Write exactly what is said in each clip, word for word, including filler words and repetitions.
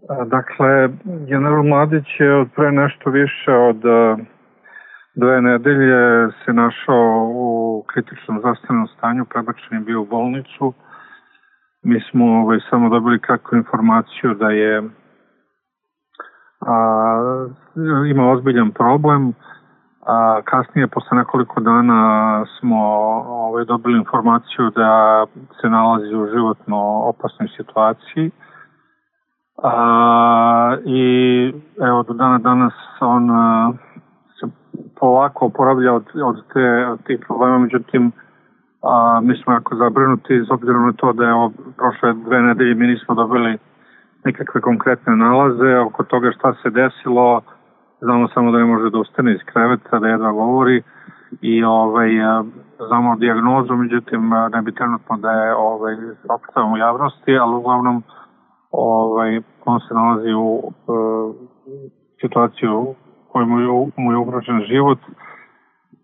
Dakle, general Mladić je od pre nešto više od dve nedelje se našao u kritičnom zdravstvenom stanju, prebačen je bio u bolnicu. Mi smo ovaj, samo dobili kratku informaciju da je a, ima ozbiljan problem. A, kasnije, posle nekoliko dana, smo ovaj, dobili informaciju da se nalazi u životno opasnoj situaciji. A, I evo, do dana danas on a, se polako oporavlja od, od, te, od tih problema, međutim, a, mi smo jako zabrinuti, s obzirom na to da je ovo prošle dve nedelje mi nismo dobili nikakve konkretne nalaze oko toga šta se desilo. Znamo samo da ne može da ustane iz kreveta, da jedva govori i ovaj, znamo dijagnozu, međutim ne bi trenutno da je ovaj, opstavamo u javnosti, ali uglavnom ovaj, on se nalazi u uh, situaciju u kojoj mu je, mu je ugrožen život.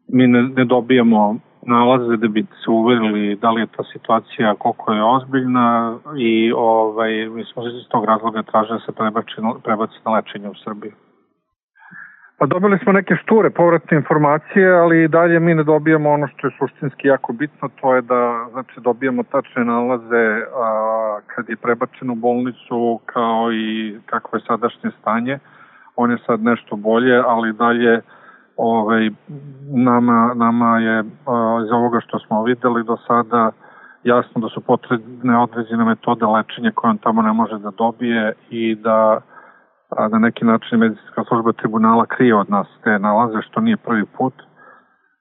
Mi ne, ne dobijamo nalaze da bi se uverili da li je ta situacija koliko je ozbiljna i ovaj, mi smo iz tog razloga tražili da se prebaci, prebaci na lečenje u Srbiji. Pa dobili smo neke šture povratne informacije, ali i dalje mi ne dobijamo ono što je suštinski jako bitno, to je da znači, dobijamo tačne nalaze a, kad je prebačen u bolnicu kao i kakvo je sadašnje stanje. On je sad nešto bolje, ali dalje ovaj, nama, nama je a, iz ovoga što smo videli do sada jasno da su potrebne određene metode lečenja koje on tamo ne može da dobije i da a na neki način medicinska služba tribunala krije od nas te nalaze, što nije prvi put.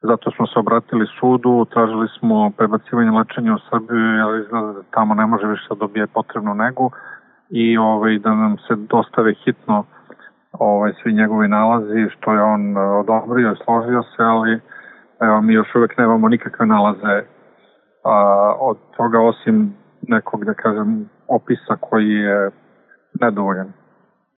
Zato smo se obratili sudu, tražili smo prebacivanje lečenja u Srbiju, jer izgleda da tamo ne može više da dobije potrebnu negu i ovaj, da nam se dostave hitno ovaj, svi njegovi nalazi, što je on odobrio i složio se, ali evo, mi još uvek nemamo nikakve nalaze a, od toga, osim nekog, da kažem, opisa koji je nedovoljan.